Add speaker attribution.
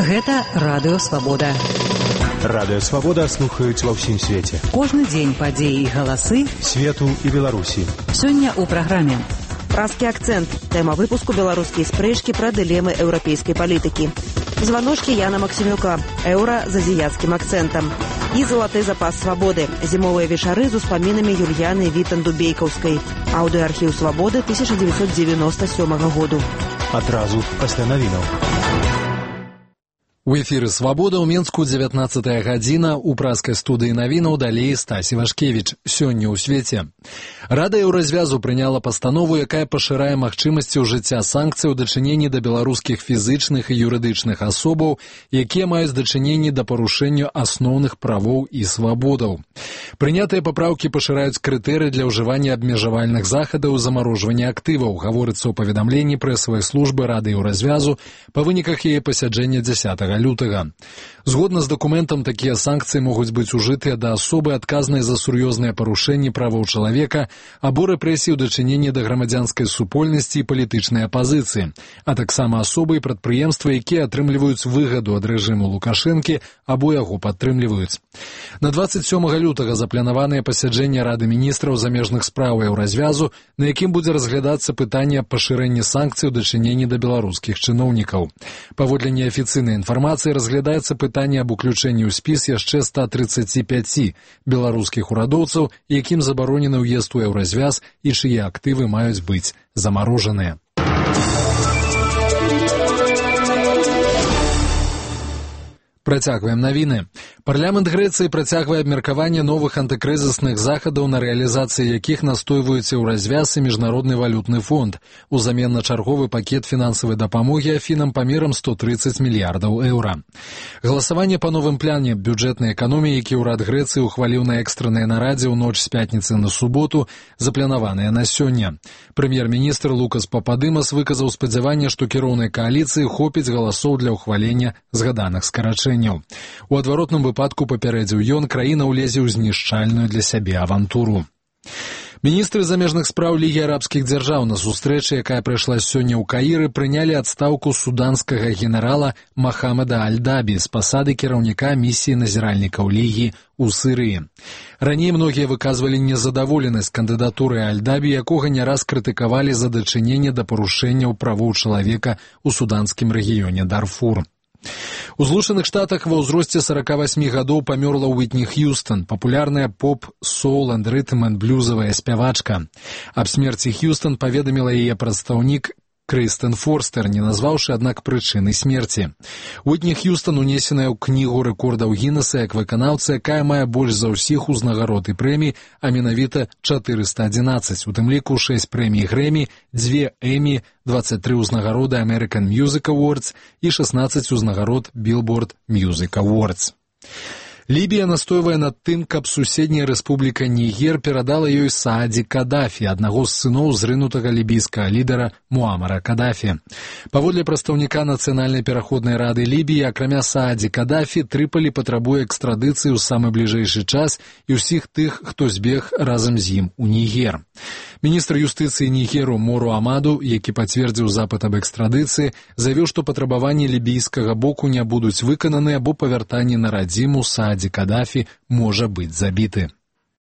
Speaker 1: Гэта Радыё Свабода.
Speaker 2: Радыё Свабода слухаюць ва ўсім свеце.
Speaker 1: Кожны дзень падзеі і галасы
Speaker 2: свету і Беларусі.
Speaker 1: Сёння ў праграме
Speaker 3: «Празкі акцэнт». Тэма выпуску «Беларускія спрэчкі пра дылемы еўрапейскай палітыкі». Званочкі Яна Максімюка. Еўра з азіяцкім акцэнтам. І «Залаты запас свабоды». Зімовыя вечары з успамінамі Юльяны Вітанду-Бейкаўскай. Аўдыоархіў «Свабоды» 1997 году.
Speaker 2: Адразу пасля навінаў.
Speaker 4: У эфіры «Свабода» ў Менску 19 гадзіна. У празкай студыі навінаў далей Стасі Вашкевіч. Сёння ў свеце. Рада Еўразвязу прыняла пастанову, якая пашырае магчымасці ўжыцця санкцый у дачыненні да беларускіх фізычных і юрыдычных асобаў, якія маюць дачыненні да парушэння асноўных правоў і свабодаў. Прынятыя папраўкі пашыраюць крытэрыі для ўжывання абмежавальных захадаў замарожвання актываў, гаворыцца ў паведамленні прэсавай службы Рады Еўразвязу па выніках яе пасяджэння 10 лютага. Згодна з дакументам, такія санкцыі могуць быць ужытыя да асобы, адказнай за сур'ёзныя парушэнні правоў чалавека або рэпрэсіі ў дачыненні да грамадзянскай супольнасці і палітычнай апазіцыі, а таксама асобы і прадпрыемствы, якія атрымліваюць выгаду ад рэжыму Лукашэнкі або яго падтрымліваюць. На 27 лютага запланаванае пасяджэнне Рады міністраў замежных спраў Еўразвязу, на якім будзе разглядацца пытанне пашырэння санкцый у дачыненні да беларускіх чыноўнікаў. Паводле неафіцыйнай інфармацыі разглядаецца пытанне аб уключэнні ў спіс яшчэ 135 беларускіх урадоўцаў, якім забаронены ўезд у Еўразвяз і чые актывы маюць быць замарожаныя. Працягваем навіны. Парламент Грэцыі працягвае абмеркаванне новых антыкрызісных захадаў, на рэалізацыі якіх настойваюць Еўразвяз і Міжнародны валютны фонд, узамен на чарговы пакет фінансавай дапамогі Афінам памерам 130 мільярдаў еўра. Галасаванне па новым пляне бюджэтнай эканоміі, які ўрад Грэцыі ухваліў на экстранай нарадзе ў ноч з пятніцы на суботу, запланаванае на сёння. Прэм'ер-міністр Лукас Пападымас выказаў спадзяванне, што кіроўнай кааліцыі хопіць галасоў для ўхвалення згаданых скарачэнняў. У адваротным выпадку, папярэдзіў ён, краіна ўлезе ў знішчальную для сябе авантуру. Міністры замежных спраў Лігі арабскіх дзяржаў на сустрэчы, якая прайшла сёння ў Каіры, прынялі адстаўку суданскага генерала Махамеда Аль-Дабі з пасады кіраўніка місіі назіральнікаў Лігі ў Сірыі. Раней многія выказвалі незадаволенасць кандыдатурай Аль-Дабі, якога не раз крытыкавалі за дачыненне да парушэнняў правоў чалавека ў суданскім рэгіёне Дарфур. У Злучаных Штатах ва ўзросце 48 гадоў памёрла Уітні Х'юстон, папулярная поп, соул энд рытм энд блюзавая спявачка. Аб смерці Х'юстон паведаміла яе прадстаўнік Крыстен Форстер, не назваўшы, аднак, прычыны смерці. Уітні Х'юстон унесеная ў кнігу рэкордаў Гіннеса як выканаўца, якая мае больш за ўсіх узнагарод і прэмій, а менавіта 411, у тым ліку 6 прэмій Грэмі, 2 Эмі, 23 узнагароды American Music Awards і 16 узнагарод Billboard Music Awards. Лібія настойвае над тым, каб суседняя рэспубліка Нігер перадала ёй Сааді Кадафі, аднаго з сыноў зрынутага лібійскага лідара Муамара Кадафі. Паводле прадстаўніка Нацыянальнай пераходнай рады Лібіі, акрамя Сааді Кадафі, Трыполі патрабуе экстрадыцыі ў самы бліжэйшы час і ўсіх тых, хто збег разам з ім у Нігер. Міністр юстыцыі Нігеру Мору Амаду, які пацвердзіў запыт аб экстрадыцыі, заявіў, што патрабаванні лібійскага боку не будуць выкананы або па вяртанні на радзіму Сааді Кадафі можа быць забіты.